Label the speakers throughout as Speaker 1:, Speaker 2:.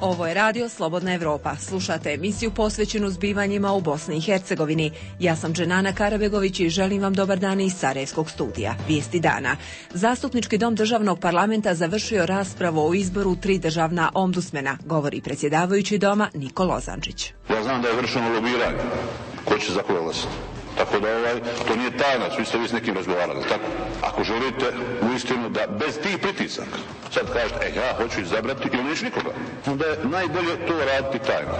Speaker 1: Ovo je radio Slobodna Evropa. Slušate emisiju posvećenu zbivanjima u Bosni i Hercegovini. Ja sam Dženana Karabegović i želim vam dobar dan iz Sarajevskog studija. Vijesti dana. Zastupnički dom državnog parlamenta završio raspravu o izboru 3 državna ombudsmena, govori predsjedavajući doma Niko Lozančić.
Speaker 2: Ja znam da je vršeno lobiranje. Ko će za koga glasati? Tako da to nije tajna, svi ste vi s nekim razgovarali, tako? Ako želite uistinu da bez tih pritisaka, sad kažete, ja hoću izabrati ili neću nikoga, onda je najbolje to raditi tajno.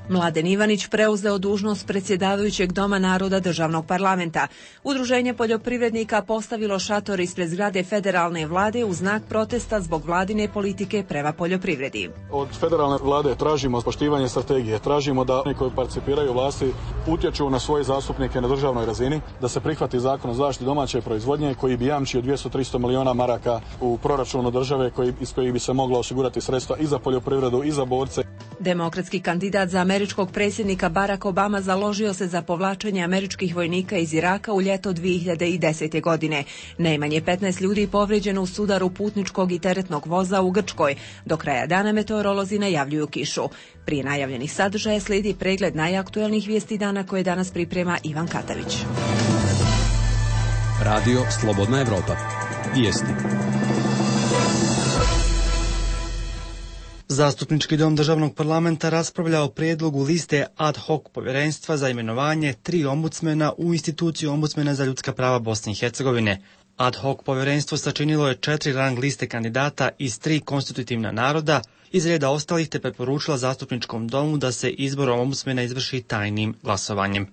Speaker 1: Mladen Ivanić preuzeo dužnost predsjedavajućeg Doma naroda državnog parlamenta. Udruženje poljoprivrednika postavilo šator ispred zgrade federalne vlade u znak protesta zbog vladine politike prema poljoprivredi.
Speaker 3: Od federalne vlade tražimo poštivanje strategije, tražimo da oni koji participiraju vlasti utječu na svoje zastupnike na državnoj razini, da se prihvati zakon o zaštiti domaće proizvodnje koji bi jamčio 200-300 miliona maraka u proračunu države iz kojih bi se moglo osigurati sredstva i za poljoprivredu i za borce.
Speaker 1: Demokratski kandidat za američkog predsjednika Barack Obama založio se za povlačenje američkih vojnika iz Iraka u ljeto 2010. godine. Najmanje 15 ljudi povrijeđeno u sudaru putničkog i teretnog voza u Grčkoj. Do kraja dana meteorolozi najavljuju kišu. Prije najavljenih sadržaja slijedi pregled najaktuelnijih vijesti dana koje danas priprema Ivan Katavić.
Speaker 4: Radio Slobodna Evropa. Vijesti.
Speaker 5: Zastupnički dom državnog parlamenta raspravlja o prijedlogu liste ad hoc povjerenstva za imenovanje 3 ombudsmena u instituciju ombudsmena za ljudska prava Bosne i Hercegovine. Ad hoc povjerenstvo sačinilo je 4 rang liste kandidata iz 3 konstitutivna naroda iz reda ostalih te preporučila zastupničkom domu da se izbor ombudsmena izvrši tajnim glasovanjem.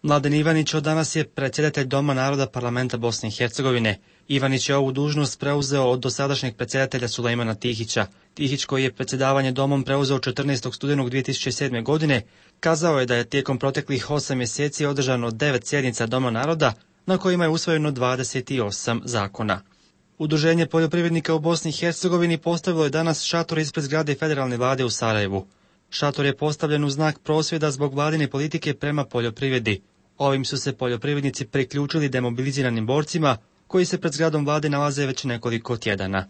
Speaker 5: Mladen Ivanić od danas je predsjedatelj Doma naroda parlamenta Bosne i Hercegovine. Ivanić je ovu dužnost preuzeo od dosadašnjeg predsjedatelja Sulejmana Tihića. Tihić, koji je predsjedavanje domom preuzeo 14. studenog 2007. godine, kazao je da je tijekom proteklih 8 mjeseci održano 9 sjednica Doma naroda, na kojima je usvojeno 28 zakona. Udruženje poljoprivrednika u Bosni i Hercegovini postavilo je danas šator ispred zgrade federalne vlade u Sarajevu. Šator je postavljen u znak prosvjeda zbog vladine politike prema poljoprivredi. Ovim su se poljoprivrednici priključili demobiliziranim borcima koji se pred zgradom vlade nalaze već nekoliko tjedana.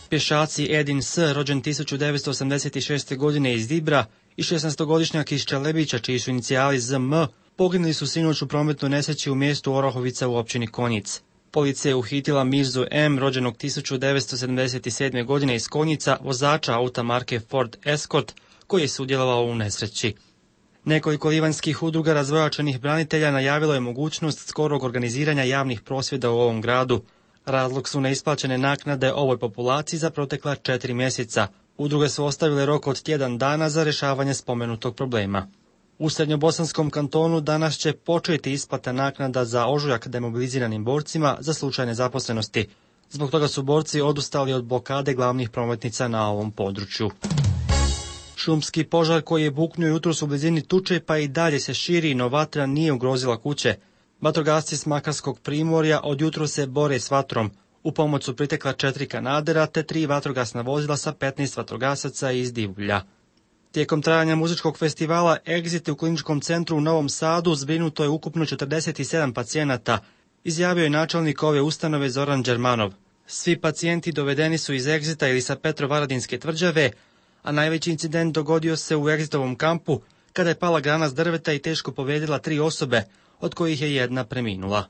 Speaker 5: Pješaci Edin S., rođen 1986. godine iz Dibra, i 16-godišnjak iz Čelebića, čiji su inicijali ZM, poginuli su sinoć u prometnoj nesreći u mjestu Orahovica u općini Konjic. Policija je uhitila Mirzu M., rođenog 1977. godine iz Konjica, vozača auta marke Ford Escort, koji je sudjelovao u nesreći. Nekoliko livanjskih udruga razvojačenih branitelja najavilo je mogućnost skorog organiziranja javnih prosvjeda u ovom gradu. Razlog su neisplaćene naknade ovoj populaciji za protekla 4 mjeseca. Udruge su ostavile rok od tjedan dana za rješavanje spomenutog problema. U Srednjobosanskom kantonu danas će početi isplata naknada za ožujak demobiliziranim borcima za slučaj nezaposlenosti. Zbog toga su borci odustali od blokade glavnih prometnica na ovom području. Šumski požar koji je buknuo jutros u blizini Tuče pa i dalje se širi, no vatra nije ugrozila kuće. Vatrogasci s Makarskog primorja od jutros se bore s vatrom. U pomoć su pritekla 4 kanadera te 3 vatrogasna vozila sa 15 vatrogasaca iz Divulja. Tijekom trajanja muzičkog festivala Exit u kliničkom centru u Novom Sadu zbrinuto je ukupno 47 pacijenata, izjavio je načelnik ove ustanove Zoran Đermanov. Svi pacijenti dovedeni su iz Exita ili sa Petrovaradinske tvrđave, a najveći incident dogodio se u Exitovom kampu kada je pala grana s drveta i teško povrijedila 3 osobe, od kojih je jedna preminula.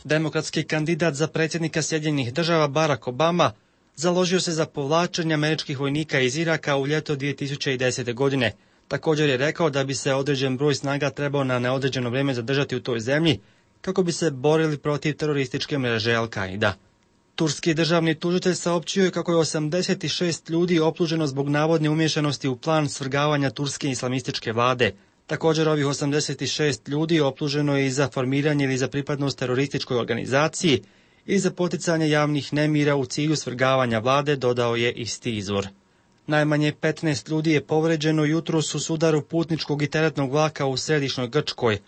Speaker 5: Demokratski kandidat za predsjednika Sjedinjenih Država Barack Obama založio se za povlačenje američkih vojnika iz Iraka u ljeto 2010. godine. Također je rekao da bi se određen broj snaga trebao na neodređeno vrijeme zadržati u toj zemlji kako bi se borili protiv terorističke mreže Al-Qaida. Turski državni tužitelj saopćio je kako je 86 ljudi optuženo zbog navodne umiješanosti u plan svrgavanja turske islamističke vlade. Također ovih 86 ljudi optuženo je i za formiranje ili za pripadnost terorističkoj organizaciji ili za poticanje javnih nemira u cilju svrgavanja vlade, dodao je isti izvor. Najmanje 15 ljudi je povrijeđeno jutros u sudaru putničkog i teretnog vlaka u središnjoj Grčkoj.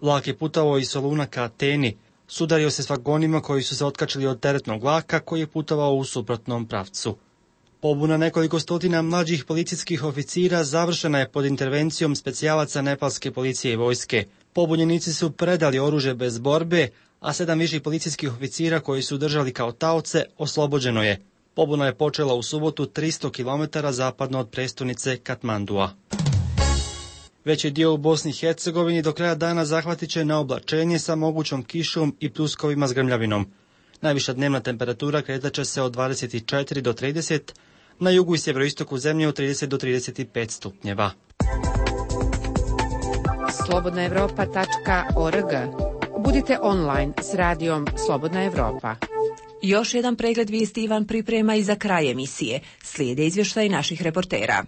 Speaker 5: Vlak je putovao iz Soluna ka Ateni. Sudario se s vagonima koji su se otkačili od teretnog vlaka koji je putovao u suprotnom pravcu. Pobuna nekoliko stotina mlađih policijskih oficira završena je pod intervencijom specijalaca nepalske policije i vojske. Pobunjenici su predali oružje bez borbe, a 7 viših policijskih oficira koji su držali kao taoce oslobođeno je. Pobuna je počela u subotu 300 km zapadno od prestonice Katmandua. Veći dio u Bosni i Hercegovini do kraja dana zahvatit će na oblačenje sa mogućom kišom i pljuskovima s grmljavinom. Najviša dnevna temperatura kretat će se od 24 do 30, na jugu i sjeveroistoku zemlje od 30 do 35 stupnjeva.
Speaker 6: slobodnaevropa.org. Budite online s radijom Slobodna Evropa.
Speaker 1: Još jedan pregled vijesti Ivan priprema i za kraj emisije. Slijede izvještaji naših reportera.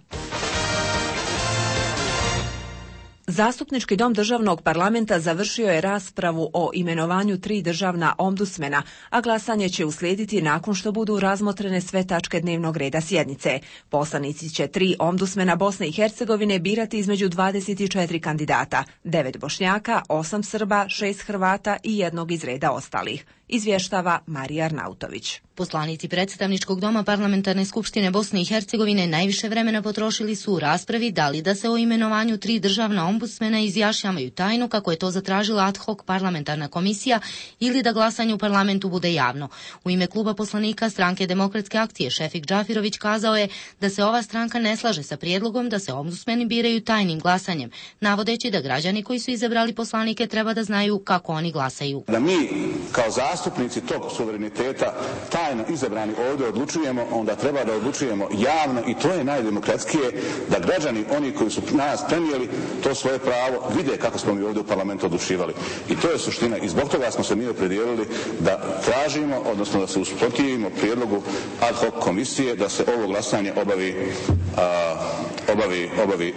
Speaker 1: Zastupnički dom državnog parlamenta završio je raspravu o imenovanju 3 državna ombudsmena, a glasanje će uslijediti nakon što budu razmotrene sve tačke dnevnog reda sjednice. Poslanici će 3 ombudsmena Bosne i Hercegovine birati između 24 kandidata, 9 Bošnjaka, 8 Srba, 6 Hrvata i 1 iz reda ostalih. Izvještava Marija Arnautović.
Speaker 7: Poslanici predstavničkog doma Parlamentarne skupštine Bosne i Hercegovine najviše vremena potrošili su u raspravi da li da se o imenovanju 3 državna ombudsmena izjašnjavaju tajno, kako je to zatražila ad hoc parlamentarna komisija, ili da glasanje u parlamentu bude javno. U ime kluba poslanika Stranke demokratske akcije Šefik Džafirović kazao je da se ova stranka ne slaže sa prijedlogom da se ombudsmeni biraju tajnim glasanjem, navodeći da građani koji su izabrali poslanike treba da znaju kako oni glasaju.
Speaker 2: Da mi kao zastupnici tog suvereniteta tajno izabrani ovdje odlučujemo, onda treba da odlučujemo javno, i to je najdemokratskije, da građani, oni koji su nas prenijeli to svoje pravo, vide kako smo mi ovdje u parlamentu odlučivali. I to je suština, i zbog toga smo se mi opredijelili da tražimo, odnosno da se usprotivimo prijedlogu ad hoc komisije da se ovo glasanje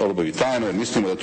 Speaker 2: obavi tajno, jer mislimo da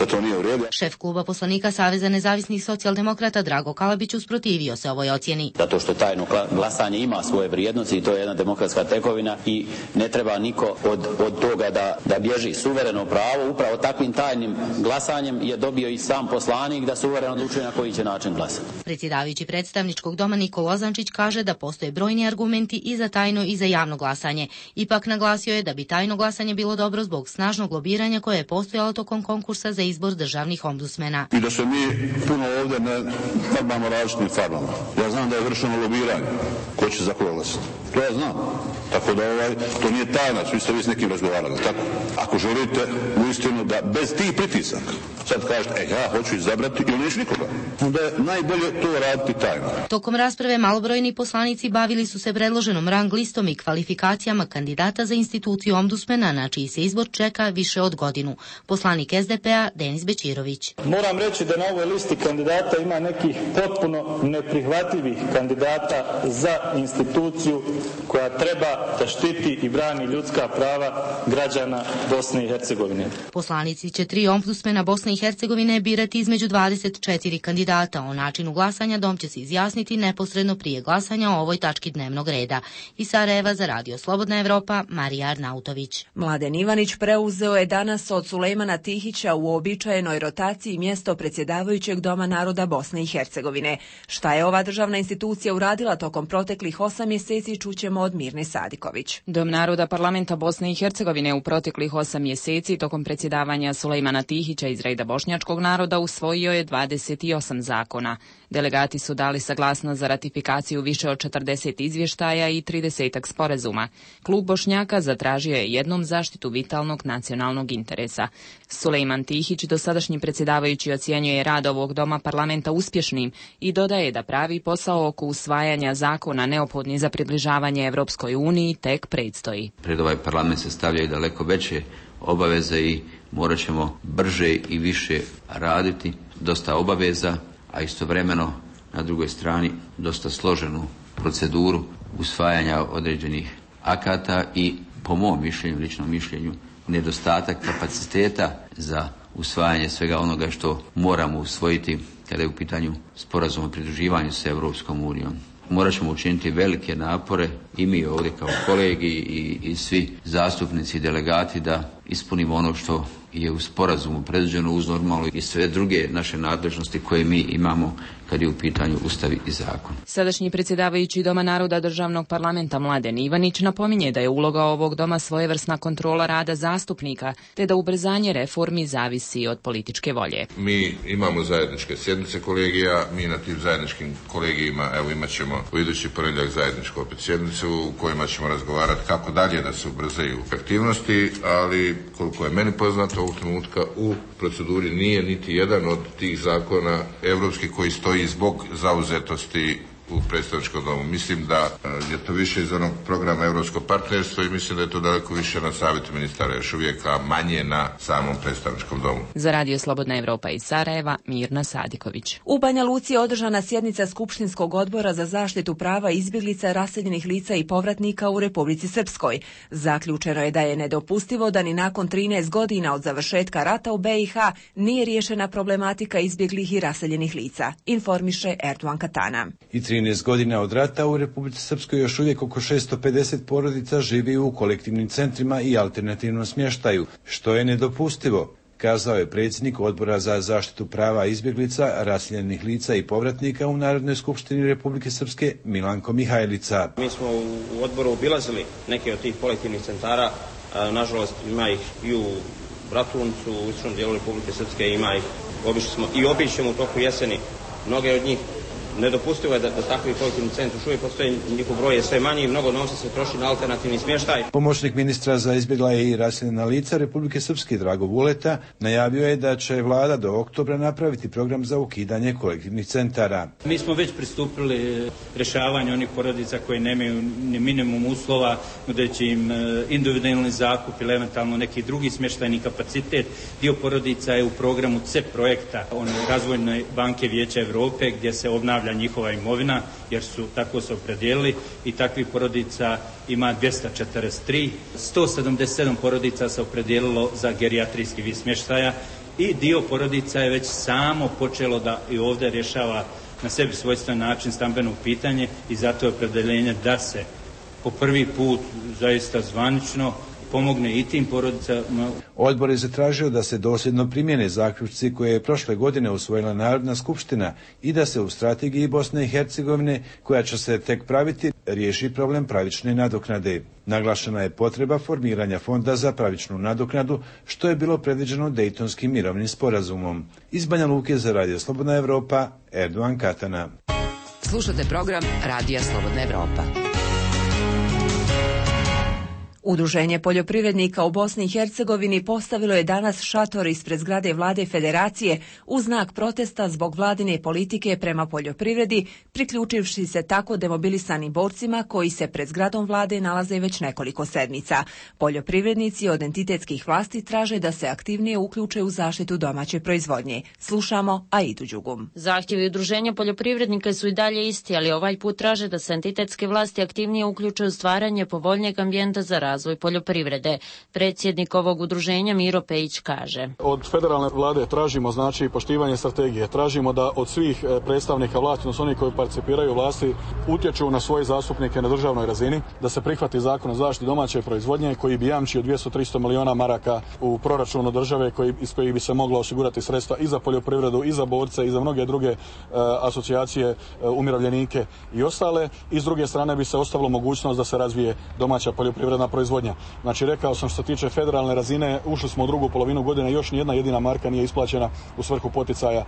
Speaker 2: to nije u redu.
Speaker 7: Šef kluba poslanika Saveza nezavisnih socijaldemokrata Drago Kalabić usprotivio se ovoj ocjeni.
Speaker 8: Zato što tajno glasanje ima svoje vrijednosti i to je jedna demokratska tekovina i ne treba niko od toga da bježi. Suvereno pravo upravo takvim tajnim glasanjem je dobio i sam poslanik da suvereno odlučuje na koji će način glasati.
Speaker 7: Predsjedavajući predstavničkog doma Nikola Ozančić kaže da postoje brojni argumenti i za tajno i za javno glasanje. Ipak naglasio je da bi tajno glasanje bilo dobro zbog snažnog lobiranja koje je postojalo tokom konkursa za izbor državnih ombudsmena.
Speaker 2: I da se mi puno ovdje ne farbamo različitim farbama. Ja znam da je vršeno lobiranje. Ko će za koga glasati? To ja znam. Tako da to nije tajna, svi ste vi s nekim razgovarali. Tako? Ako želite uistinu da bez tih pritisaka sad kažete, ja hoću izabrati ili neću nikoga, onda je najbolje to raditi tajno.
Speaker 7: Tokom rasprave malobrojni poslanici bavili su se predloženom rang listom i kvalifikacijama kandidata za instituciju ombudsmena, na čiji se izbor čeka više od godinu. Poslanik SDP-a Denis Bećirović.
Speaker 9: Moram reći da na ovoj listi kandidata ima nekih potpuno neprihvatljivih kandidata za instituciju koja treba da štiti i brani ljudska prava građana Bosne i Hercegovine.
Speaker 7: Poslanici će 3 ombudsmena Bosne i Hercegovine birati između 24 kandidata. O načinu glasanja dom će se izjasniti neposredno prije glasanja o ovoj tački dnevnog reda. Iz Sarajeva za Radio Slobodna Evropa, Marija Arnautović.
Speaker 1: Mladen Ivanić preuzeo je danas od Sulejmana Tihića u uobičajenoj rotaciji mjesto predsjedavajućeg Doma naroda Bosne i Hercegovine. Šta je ova državna institucija uradila tokom proteklih 8 mjeseci čućemo od Mirne Sadiković.
Speaker 6: Dom naroda parlamenta Bosne i Hercegovine u proteklih 8 mjeseci tokom predsjedavanja Sulejmana Tihića iz reda bošnjačkog naroda usvojio je 28 zakona. Delegati su dali saglasnost za ratifikaciju više od 40 izvještaja i 30 sporazuma. Klub Bošnjaka zatražio je jednom zaštitu vitalnog nacionalnog interesa. Sulejman Tihić, dosadašnji predsjedavajući, ocjenjuje rad ovog doma parlamenta uspješnim i dodaje da pravi posao oko usvajanja zakona neophodni za približavanje Evropskoj uniji tek predstoji.
Speaker 10: Pred ovaj parlament se stavljaju daleko veće obaveze i morat ćemo brže i više raditi. Dosta obaveza, a istovremeno na drugoj strani dosta složenu proceduru usvajanja određenih akata i, po mom mišljenju, ličnom mišljenju, nedostatak kapaciteta za usvajanje svega onoga što moramo usvojiti kada je u pitanju sporazum o pridruživanju sa Europskom unijom. Morat ćemo učiniti velike napore i mi ovdje kao kolegi i svi zastupnici i delegati da ispunimo ono što je u sporazumu predviđeno uz normalno i sve druge naše nadležnosti koje mi imamo kad je u pitanju Ustav i zakon.
Speaker 6: Sadašnji predsjedavajući Doma naroda Državnog parlamenta Mladen Ivanić napominje da je uloga ovog doma svojevrsna kontrola rada zastupnika, te da ubrzanje reformi zavisi od političke volje.
Speaker 11: Mi imamo zajedničke sjednice kolegija, mi na tim zajedničkim kolegijima imat ćemo u idući ponedjeljak zajedničku opet sjednicu u kojima ćemo razgovarati kako dalje da se ubrzaju aktivnosti, ali koliko je meni poznato ovog trenutka u proceduri nije niti jedan od tih zakona europskih koji stoji zbog zauzetosti u predstavničkom domu. Mislim da je to više iz onog programa Europskog partnerstva i mislim da je to daleko više na savjetu ministara još uvijek, a manje na samom predstavničkom domu.
Speaker 6: Za Radio Slobodna Evropa iz Sarajeva, Mirna Sadiković.
Speaker 1: U Banja Luci je održana sjednica Skupštinskog odbora za zaštitu prava izbjeglica, raseljenih lica i povratnika u Republici Srpskoj. Zaključeno je da je nedopustivo da ni nakon 13 godina od završetka rata u BiH nije riješena problematika izbjeglih i raseljenih lica, informiše Erdogan Katana.
Speaker 12: 13 godina od rata u Republici Srpskoj još uvijek oko 650 porodica živi u kolektivnim centrima i alternativnom smještaju, što je nedopustivo, kazao je predsjednik Odbora za zaštitu prava izbjeglica, raseljenih lica i povratnika u Narodnoj skupštini Republike Srpske Milanko Mihajlica.
Speaker 13: Mi smo u odboru obilazili neke od tih kolektivnih centara, nažalost ima ih i u Bratuncu, u istočnom dijelu Republike Srpske, ima ih, obišli smo i obićemo u toku jeseni mnoge od njih. Nedopustivo je da takvi kolektivni centri još uvijek postoje, njihov broj je sve manji i mnogo novca se troši na alternativni smještaj.
Speaker 12: Pomoćnik ministra za izbjegla i raseljena lica Republike Srpske Drago Vuleta najavio je da će vlada do oktobra napraviti program za ukidanje kolektivnih centara.
Speaker 14: Mi smo već pristupili rješavanju onih porodica koje nemaju ni minimum uslova, nudeći im individualni zakup ili eventualno neki drugi smještajni kapacitet. Dio porodica je u programu CEP projekta, Razvojne banke Vijeća Europe, gdje se obnavlja njihova imovina, jer su tako se opredijelili i takvih porodica ima 243. 177 porodica se opredijelilo za gerijatrijski vid smještaja i dio porodica je već samo počelo da i ovdje rješava na sebi svojstven način stambeno pitanje i zato je opredjeljenje da se po prvi put zaista zvanično pomogne i tim porodicama.
Speaker 12: Odbor je zatražio da se dosljedno primjene zaključci koje je prošle godine usvojila Narodna skupština i da se u strategiji Bosne i Hercegovine, koja će se tek praviti, riješi problem pravične nadoknade. Naglašena je potreba formiranja fonda za pravičnu nadoknadu, što je bilo predviđeno Dejtonskim mirovnim sporazumom. Iz Banja Luke za Radio Slobodna Evropa, Erdogan Katana.
Speaker 15: Slušate program Radija Slobodna Evropa.
Speaker 1: Udruženje poljoprivrednika u Bosni i Hercegovini postavilo je danas šator ispred zgrade Vlade Federacije u znak protesta zbog vladine politike prema poljoprivredi, priključivši se tako demobilisanim borcima koji se pred zgradom vlade nalaze već nekoliko sedmica. Poljoprivrednici od entitetskih vlasti traže da se aktivnije uključe u zaštitu domaće proizvodnje. Slušamo Aidu Đugum.
Speaker 16: Zahtjevi udruženja poljoprivrednika su i dalje isti, ali ovaj put traže da se entitetske vlasti aktivnije uključe u stvaranje povoljnijeg ambijenta za razvoj poljoprivrede. Predsjednik ovog udruženja Miro Pejić kaže:
Speaker 3: Od federalne vlade tražimo poštivanje strategije. Tražimo da od svih predstavnika vlasti, odnosno oni koji participiraju vlasti, utječu na svoje zastupnike na državnoj razini, da se prihvati zakon o zaštiti domaće proizvodnje koji bi jamčio 200-300 milijuna maraka u proračunu države iz kojih bi se moglo osigurati sredstva i za poljoprivredu, i za borce, i za mnoge druge asocijacije, umirovljenike i ostale. I s druge strane bi se ostavilo mogućnost da se razvije domaća poljoprivredna proizvodnja. Znači, rekao sam, što se tiče federalne razine, ušli smo u drugu polovinu godine, još nijedna jedina marka nije isplaćena u svrhu poticaja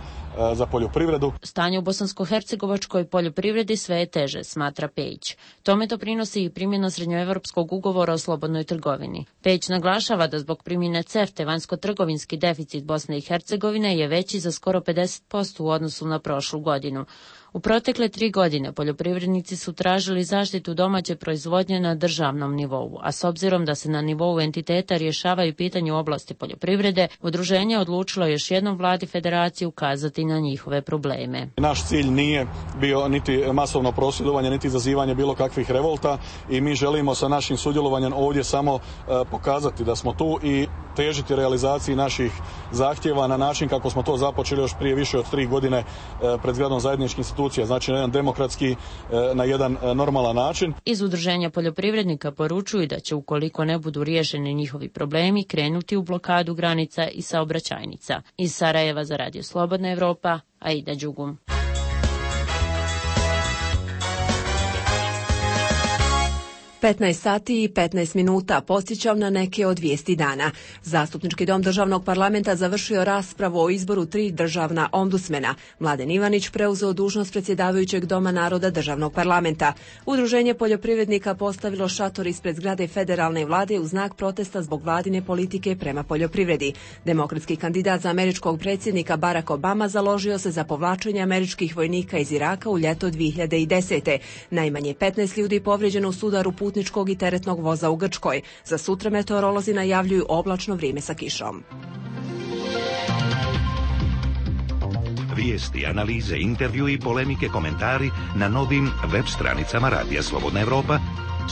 Speaker 3: za poljoprivredu.
Speaker 16: Stanje u bosansko-hercegovačkoj poljoprivredi sve je teže, smatra Pejić. Tome doprinosi i primjena srednjoevropskog ugovora o slobodnoj trgovini. Pejić naglašava da zbog primjene CEFTA vanjsko-trgovinski deficit Bosne i Hercegovine je veći za skoro 50% u odnosu na prošlu godinu. U protekle 3 godine poljoprivrednici su tražili zaštitu domaće proizvodnje na državnom nivou, a s obzirom da se na nivou entiteta rješavaju pitanje u oblasti poljoprivrede, udruženje odlučilo još jednom vladi federacije ukazati na njihove probleme.
Speaker 3: Naš cilj nije bio niti masovno prosvjedovanje, niti izazivanje bilo kakvih revolta i mi želimo sa našim sudjelovanjem ovdje samo pokazati da smo tu i težiti realizaciji naših zahtjeva na način kako smo to započeli još prije više od 3 godine pred zgradom zajedničkih institucija, znači na jedan demokratski, na jedan normalan način.
Speaker 16: Iz Udruženja poljoprivrednika poručuju da će, ukoliko ne budu riješeni njihovi problemi, krenuti u blokadu granica i saobraćajnica. Iz Sarajeva za Radio Slobodna Evropa, Aida Đugum.
Speaker 1: 15 sati i 15 minuta podsjećam na neke od vijesti dana. Zastupnički dom državnog parlamenta završio raspravu o izboru 3 državna ombudsmena. Mladen Ivanić preuzeo dužnost predsjedavajućeg Doma naroda državnog parlamenta. Udruženje poljoprivrednika postavilo šator ispred zgrade federalne vlade u znak protesta zbog vladine politike prema poljoprivredi. Demokratski kandidat za američkog predsjednika Barack Obama založio se za povlačenje američkih vojnika iz Iraka u ljeto 2010. Najmanje 15 ljudi povrijeđeno u sudaru putničkog i teretnog voza u Grčkoj. Za sutra meteorolozi najavljuju oblačno vrijeme sa kišom.
Speaker 17: Vijesti, analize, intervju i polemike, komentari na novim web stranicama Radija Slobodna Evropa,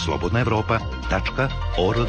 Speaker 17: slobodnaevropa.org.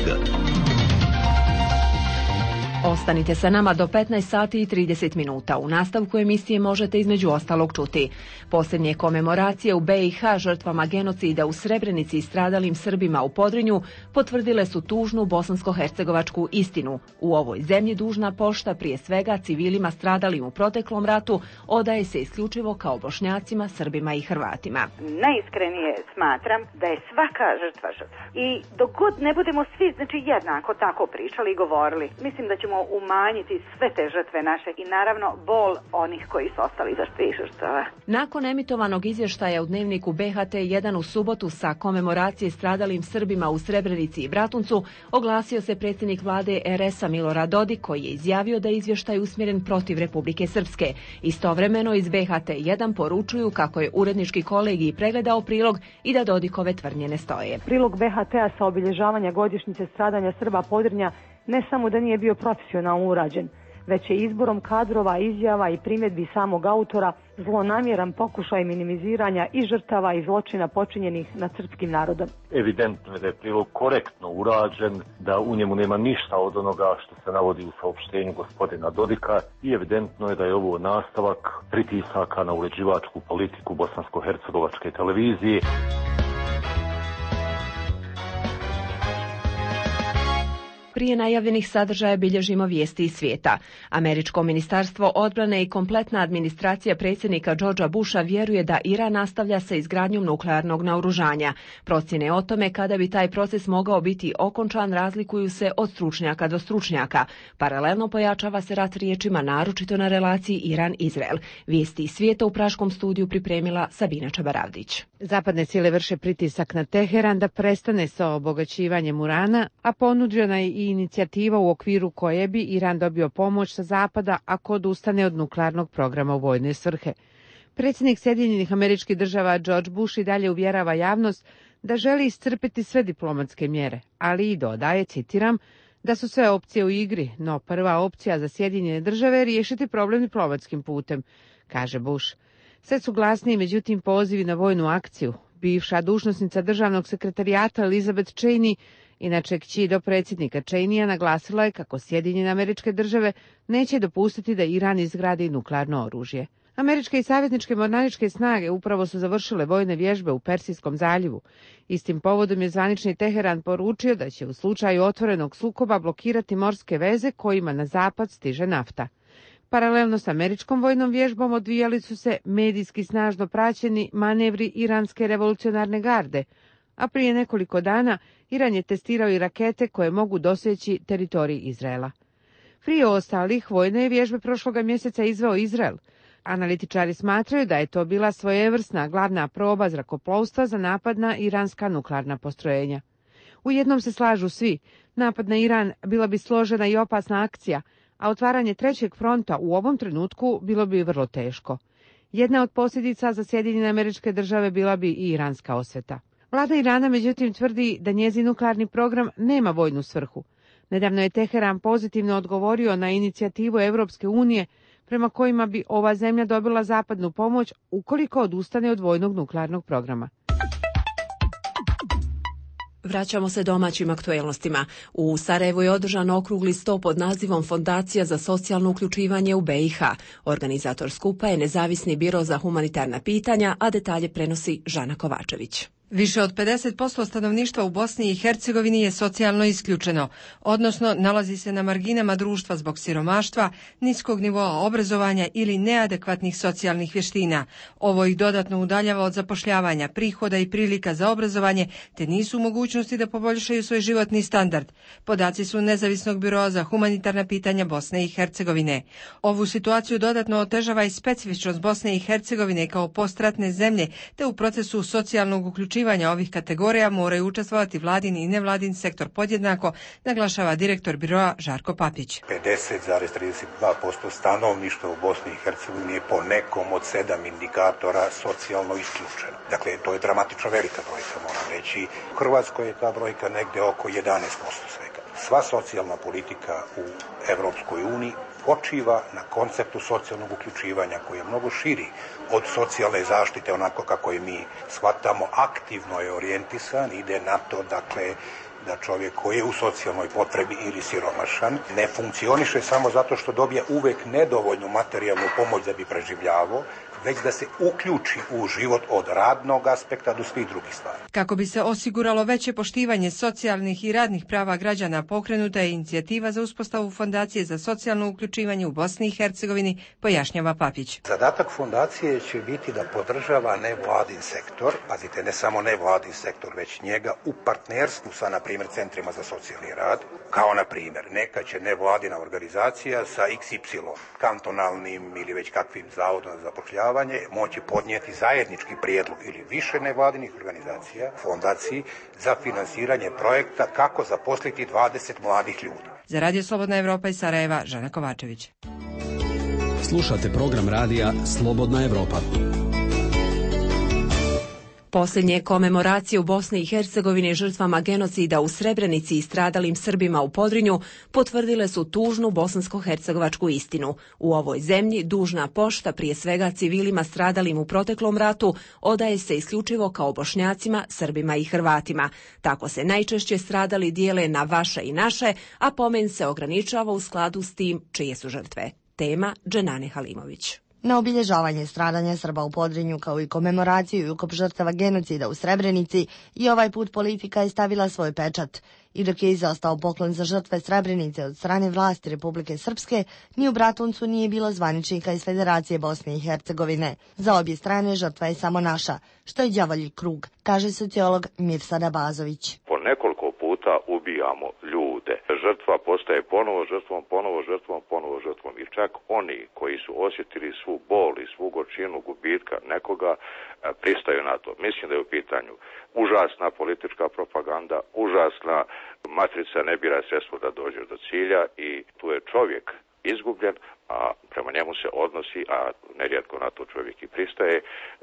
Speaker 1: Ostanite sa nama do 15 sati i 30 minuta. U nastavku emisije možete između ostalog čuti posljednje komemoracije u BiH žrtvama genocida u Srebrenici i stradalim Srbima u Podrinju potvrdile su tužnu bosansko-hercegovačku istinu. U ovoj zemlji dužna pošta prije svega civilima stradalim u proteklom ratu odaje se isključivo kao Bošnjacima, Srbima i Hrvatima.
Speaker 18: Najiskrenije smatram da je svaka žrtva žrtva. I dok god ne budemo svi jednako tako pričali i govorili, mislim da ćemo umanjiti sve te žrtve naše i naravno bol onih koji su ostali za svih žrtava.
Speaker 1: Nakon emitovanog izvještaja u dnevniku BHT1 u subotu sa komemoracije stradalim Srbima u Srebrenici i Bratuncu, oglasio se predsjednik vlade RS-a Milorad Dodik, koji je izjavio da je izvještaj usmjeren protiv Republike Srpske. Istovremeno iz BHT1 poručuju kako je urednički kolegij pregledao prilog i da Dodikove tvrdnje ne stoje.
Speaker 19: Prilog BHT-a sa obilježavanja godišnjice stradanja Srba Podrinja ne samo da nije bio profesionalno urađen, već je izborom kadrova, izjava i primjedbi samog autora zlonamjeran pokušaj minimiziranja i žrtava i zločina počinjenih nad srpskim narodom.
Speaker 20: Evidentno je da je prilog korektno urađen, da u njemu nema ništa od onoga što se navodi u saopštenju gospodina Dodika i evidentno je da je ovo nastavak pritisaka na uređivačku politiku bosansko-hercegovačke televizije.
Speaker 1: Prije najavljenih sadržaja bilježimo vijesti iz svijeta. Američko ministarstvo odbrane i kompletna administracija predsjednika Georgea Busha vjeruje da Iran nastavlja sa izgradnjom nuklearnog naoružanja. Procjene o tome kada bi taj proces mogao biti okončan razlikuju se od stručnjaka do stručnjaka. Paralelno pojačava se rat riječima, naročito na relaciji Iran-Izrael. Vijesti iz svijeta u praškom studiju pripremila Sabina Čabaravdić.
Speaker 21: Zapadne sile vrše pritisak na Teheran da prestane sa obogaćivanjem urana, a ponuđena je i inicijativa u okviru koje bi Iran dobio pomoć sa zapada ako odustane od nuklearnog programa u vojne svrhe. Predsjednik Sjedinjenih Američkih Država George Bush i dalje uvjerava javnost da želi iscrpiti sve diplomatske mjere, ali i dodaje, citiram, da su sve opcije u igri, no prva opcija za Sjedinjene Države je riješiti problem diplomatskim putem, kaže Bush. Sve su glasniji, međutim, pozivi na vojnu akciju. Bivša dužnosnica državnog sekretarijata Elizabeth Cheney, inače kći do predsjednika Cheneya, naglasila je kako Sjedinjene Američke Države neće dopustiti da Iran izgradi nuklearno oružje. Američke i savezničke mornaričke snage upravo su završile vojne vježbe u Persijskom zaljevu. Istim povodom je zvanični Teheran poručio da će u slučaju otvorenog sukoba blokirati morske veze kojima na zapad stiže nafta. Paralelno s američkom vojnom vježbom odvijali su se medijski snažno praćeni manevri iranske revolucionarne garde, a prije nekoliko dana Iran je testirao i rakete koje mogu doseći teritorij Izraela. Prije ostalih vojne vježbe prošloga mjeseca izveo Izrael. Analitičari smatraju da je to bila svojevrsna glavna proba zrakoplovstva za napad na iranska nuklearna postrojenja. U jednom se slažu svi, napad na Iran bila bi složena i opasna akcija, a otvaranje trećeg fronta u ovom trenutku bilo bi vrlo teško. Jedna od posljedica za Sjedinjene Američke Države bila bi i iranska osveta. Vlada Irana međutim tvrdi da njezin nuklearni program nema vojnu svrhu. Nedavno je Teheran pozitivno odgovorio na inicijativu Europske unije prema kojima bi ova zemlja dobila zapadnu pomoć ukoliko odustane od vojnog nuklearnog programa.
Speaker 1: Vraćamo se domaćim aktuelnostima. U Sarajevu je održan okrugli sto pod nazivom Fondacija za socijalno uključivanje u BiH. Organizator skupa je Nezavisni biro za humanitarna pitanja, a detalje prenosi Žana Kovačević.
Speaker 4: Više od 50% stanovništva u Bosni i Hercegovini je socijalno isključeno, odnosno nalazi se na marginama društva zbog siromaštva, niskog nivoa obrazovanja ili neadekvatnih socijalnih vještina. Ovo ih dodatno udaljava od zapošljavanja, prihoda i prilika za obrazovanje, te nisu u mogućnosti da poboljšaju svoj životni standard. Podaci su Nezavisnog biroa za humanitarna pitanja Bosne i Hercegovine. Ovu situaciju dodatno otežava i specifičnost Bosne i Hercegovine kao postratne zemlje, te u procesu socijalnog uključivanja ovih kategorija moraju učestvovati vladin i nevladin sektor podjednako, naglašava direktor biroa Žarko Papić.
Speaker 22: 50,32% stanovništva u Bosni i Hercegovini je po nekom od 7 indikatora socijalno isključeno. Dakle, to je dramatično velika brojka, moram reći. U Hrvatskoj je ta brojka negde oko 11% svega. Sva socijalna politika u Evropskoj uniji počiva na konceptu socijalnog uključivanja koji je mnogo širi od socijalne zaštite, onako kako je mi shvatamo, aktivno je orijentisan, ide na to, dakle, da čovjek koji je u socijalnoj potrebi ili siromašan ne funkcioniše samo zato što dobije uvek nedovoljnu materijalnu pomoć da bi preživljavao, već da se uključi u život od radnog aspekta do svih drugih stvari.
Speaker 4: Kako bi se osiguralo veće poštivanje socijalnih i radnih prava građana, pokrenuta je inicijativa za uspostavu Fondacije za socijalno uključivanje u Bosni i Hercegovini, pojašnjava Papić.
Speaker 22: Zadatak fondacije će biti da podržava nevladin sektor, pazite, ne samo nevladin sektor, već njega u partnerstvu sa, na primjer, centrima za socijalni rad, kao na primjer, neka će nevladina organizacija sa XY, kantonalnim ili već kakvim zavodom za zapošljavanje, moći podnijeti zajednički prijedlog ili više nevladinih organizacija, fondaciji, za finansiranje projekta kako zaposliti 20 mladih ljudi.
Speaker 4: Za Radio Slobodna Evropa iz Sarajeva, Žana Kovačević.
Speaker 23: Slušate program radija Slobodna Evropa.
Speaker 1: Posljednje komemoracije u Bosni i Hercegovini žrtvama genocida u Srebrenici i stradalim Srbima u Podrinju potvrdile su tužnu bosansko-hercegovačku istinu. U ovoj zemlji dužna pošta, prije svega civilima stradalim u proteklom ratu, odaje se isključivo kao Bošnjacima, Srbima i Hrvatima. Tako se najčešće stradali dijele na vaše i naše, a pomen se ograničava u skladu s tim čije su žrtve. Tema Dženane Halimović.
Speaker 24: Na obilježavanje stradanja Srba u Podrinju kao i komemoraciju i ukop žrtava genocida u Srebrenici i ovaj put politika je stavila svoj pečat. I dok je izostao poklon za žrtve Srebrenice od strane vlasti Republike Srpske, ni u Bratuncu nije bilo zvaničnika iz Federacije Bosne i Hercegovine. Za obje strane žrtva je samo naša, što je đavolji krug, kaže sociolog Mirsad Abazović.
Speaker 25: Po nekoliko puta ubijamo ljude. Žrtva postaje ponovo žrtvom, ponovo žrtvom. I čak oni koji su osjetili svu bol i svu gorčinu gubitka nekoga pristaju na to. Mislim da je u pitanju užasna politička propaganda, užasna matrica ne bira sredstvo da dođe do cilja i tu je čovjek izgubljen, a prema njemu se odnosi, a nerijetko na to čovjek i pristaje,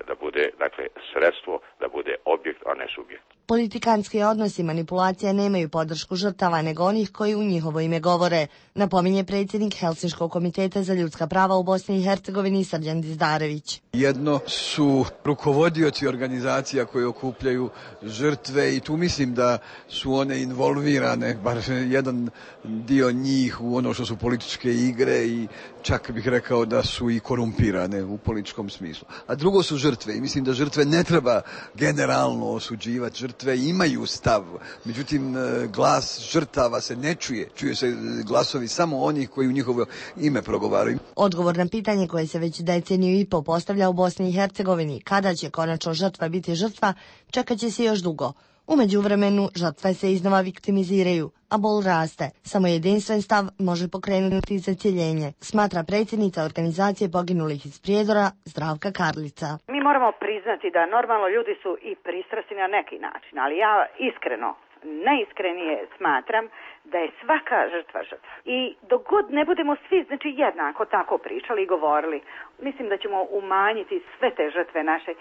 Speaker 25: da bude, dakle, sredstvo, da bude objekt, a ne subjekt.
Speaker 24: Politikanski odnosi i manipulacija nemaju podršku žrtava nego onih koji u njihovo ime govore, napominje predsjednik Helsinškog komiteta za ljudska prava u Bosni i Hercegovini Srđan Dizdarević.
Speaker 26: Jedno su rukovodioci organizacija koji okupljaju žrtve i tu mislim da su one involvirane, bar jedan dio njih u ono što su političke igre i čak bih rekao da su i korumpirane u političkom smislu. A drugo su žrtve i mislim da žrtve ne treba generalno osuđivati. Žrtve imaju stav, međutim glas žrtava se ne čuje. Čuje se glasovi samo onih koji u njihovo ime progovaraju.
Speaker 24: Odgovor na pitanje koje se već deceniju i po postavlja u Bosni i Hercegovini, kada će konačno žrtva biti žrtva, čekat će se još dugo. U međuvremenu žrtve se iznova viktimiziraju, a bol raste. Samo jedinstven stav može pokrenuti zacjeljenje, smatra predsjednica organizacije poginulih iz Prijedora Zdravka Karlica.
Speaker 18: Mi moramo priznati da normalno ljudi su i pristrasni na neki način, ali ja iskreno, najiskrenije smatram da je svaka žrtva žrtva. I dok god ne budemo svi, znači, jednako tako pričali i govorili, mislim da ćemo umanjiti sve te žrtve naše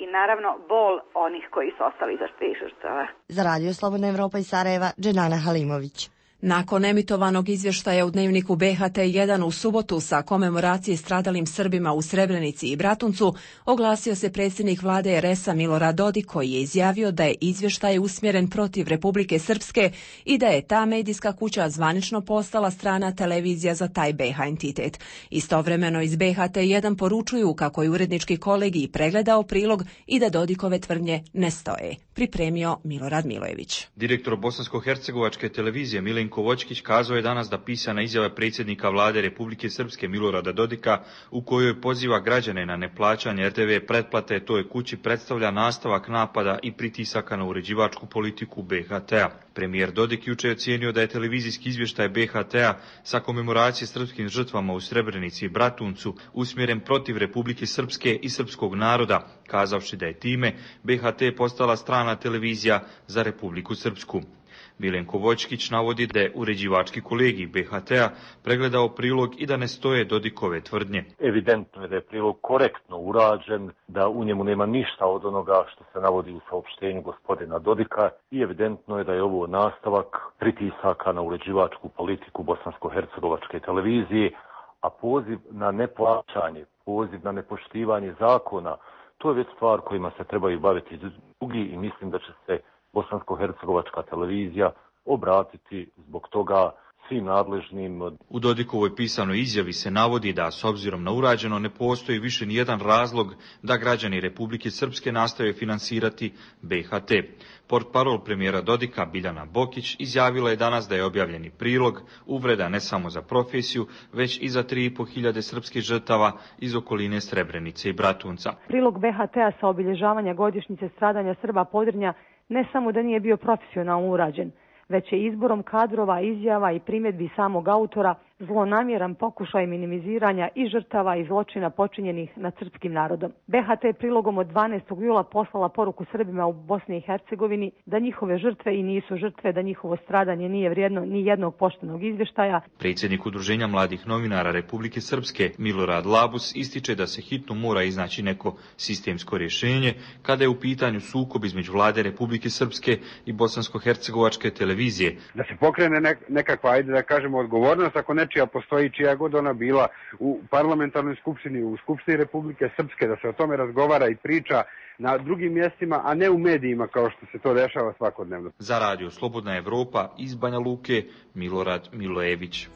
Speaker 18: i naravno bol onih koji su ostali za tih žrtava.
Speaker 24: Za Radio Slobodna Evropa iz Sarajeva, Dženana Halimović.
Speaker 1: Nakon emitovanog izvještaja u dnevniku BHT1 u subotu sa komemoracije stradalim Srbima u Srebrenici i Bratuncu, oglasio se predsjednik vlade RS-a Milorad Dodik, koji je izjavio da je izvještaj usmjeren protiv Republike Srpske i da je ta medijska kuća zvanično postala strana televizija za taj BH entitet. Istovremeno iz BHT1 poručuju kako je urednički kolegij pregledao prilog i da Dodikove tvrdnje ne stoje. Pripremio Milorad Milojević.
Speaker 2: Direktor bosansko-hercegovačke televizije Milenko Voćkić kazao je danas da pisana izjava predsjednika vlade Republike Srpske Milorada Dodika, u kojoj poziva građane na neplaćanje RTV pretplate toj kući, predstavlja nastavak napada i pritisaka na uređivačku politiku BHT-a. Premijer Dodik juče je ocijenio da je televizijski izvještaj BHT-a sa komemoracije srpskim žrtvama u Srebrenici i Bratuncu usmjeren protiv Republike Srpske i srpskog naroda, kazavši da je time BHT postala strana televizija za Republiku Srpsku. Milenko Voćkić navodi da je uređivački kolegij BHT-a pregledao prilog i da ne stoje Dodikove tvrdnje.
Speaker 20: Evidentno je da je prilog korektno urađen, da u njemu nema ništa od onoga što se navodi u saopštenju gospodina Dodika i evidentno je da je ovo nastavak pritisaka na uređivačku politiku bosansko-hercegovačke televizije, a poziv na neplaćanje, poziv na nepoštivanje zakona, to je već stvar kojima se trebaju baviti drugi i mislim da će se bosansko-hercegovačka televizija obratiti zbog toga svim nadležnim.
Speaker 2: U Dodikovoj pisanoj izjavi se navodi da s obzirom na urađeno ne postoji više ni jedan razlog da građani Republike Srpske nastave finansirati BHT. Portparol premijera Dodika Biljana Bokić izjavila je danas da je objavljeni prilog uvreda ne samo za profesiju, već i za 3.500 srpskih žrtava iz okoline Srebrenice i Bratunca.
Speaker 19: Prilog BHT-a sa obilježavanja godišnjice stradanja Srba Podrinja ne samo da nije bio profesionalno urađen, već je izborom kadrova, izjava i primjedbi samog autora zlonamjeran pokušaj minimiziranja i žrtava i zločina počinjenih nad srpskim narodom. BHT prilogom od 12. jula poslala poruku Srbima u Bosni i Hercegovini da njihove žrtve i nisu žrtve, da njihovo stradanje nije vrijedno ni jednog poštenog izvještaja.
Speaker 2: Predsjednik Udruženja mladih novinara Republike Srpske Milorad Labus ističe da se hitno mora iznaći neko sistemsko rješenje kada je u pitanju sukob između vlade Republike Srpske i bosansko-hercegovačke televizije.
Speaker 5: Da se pokrene nekakva, ajde da kažemo, odgovornost ako nečija postoji, čija god ona bila, u parlamentarnoj skupštini, u Skupštini Republike Srpske, da se o tome razgovara i priča na drugim mjestima, a ne u medijima kao što se to dešava svakodnevno.
Speaker 2: Za Radio Slobodna Evropa iz Banja Luke, Milorad Milojević.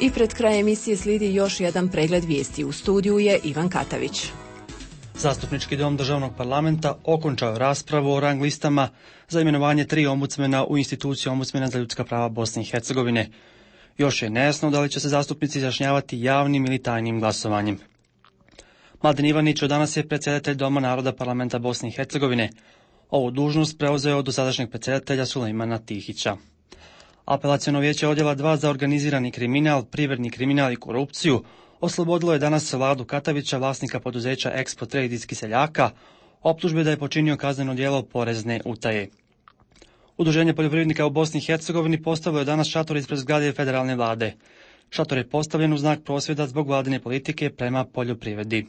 Speaker 1: I pred kraj emisije slijedi još jedan pregled vijesti. U studiju je Ivan Katavić.
Speaker 7: Zastupnički dom državnog parlamenta okončao raspravu o rang listama za imenovanje 3 ombudsmena u instituciju ombudsmena za ljudska prava Bosne i Hercegovine. Još je nejasno da li će se zastupnici izjašnjavati javnim ili tajnim glasovanjem. Mladen Ivanić od danas je predsjedatelj Doma naroda parlamenta Bosne i Hercegovine. Ovu dužnost preuzeo od dosadašnjeg predsjedatelja Sulejmana Tihića. Apelaciono vijeće odjela 2 za organizirani kriminal, privredni kriminal i korupciju oslobodilo je danas Vladu Katavića, vlasnika poduzeća Expo Trade iz Kiseljaka, optužbe da je počinio kazneno djelo porezne utaje. Udruženje poljoprivrednika u Bosni i Hercegovini postavilo je danas šator ispred zgrade federalne vlade. Šator je postavljen u znak prosvjeda zbog vladine politike prema poljoprivredi.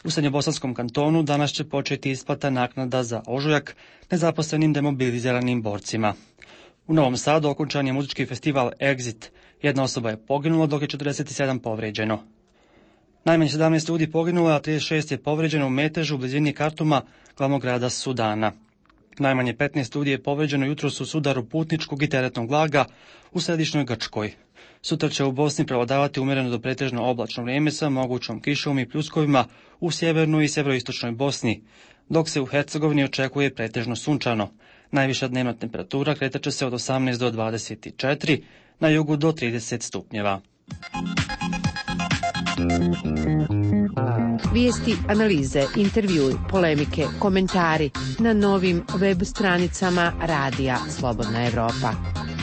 Speaker 7: U Srednjobosanskom kantonu danas će početi isplata naknada za ožujak nezaposlenim demobiliziranim borcima. U Novom Sadu okončan je muzički festival Exit. Jedna osoba je poginula, dok je 47 povrijeđeno. Najmanje 17 ljudi poginulo, a 36 je povrijeđeno u metežu u blizini Kartuma, glavnog grada Sudana. Najmanje 15 ljudi je povrijeđeno jutros u sudaru putničkog i teretnog vlaga u središnjoj Grčkoj. Sutra će u Bosni prevladavati umjereno do pretežno oblačno vrijeme sa mogućom kišom i pljuskovima u sjevernoj i sjeveroistočnoj Bosni, dok se u Hercegovini očekuje pretežno sunčano. Najviša dnevna temperatura kretat će se od 18 do 24, na jugu do 30 stupnjeva.
Speaker 21: Vijesti, analize, intervjui, polemike, komentari na novim web stranicama Radija Slobodna Evropa.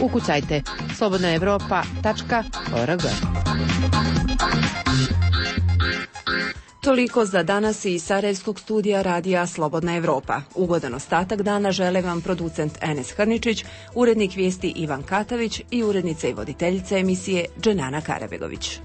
Speaker 21: Ukucajte slobodnaevropa.org. Toliko za danas iz Sarajevskog studija Radija Slobodna Evropa. Ugodan ostatak dana žele vam producent Enes Hrničić, urednik vijesti Ivan Katavić i urednica i voditeljica emisije Dženana Karabegović.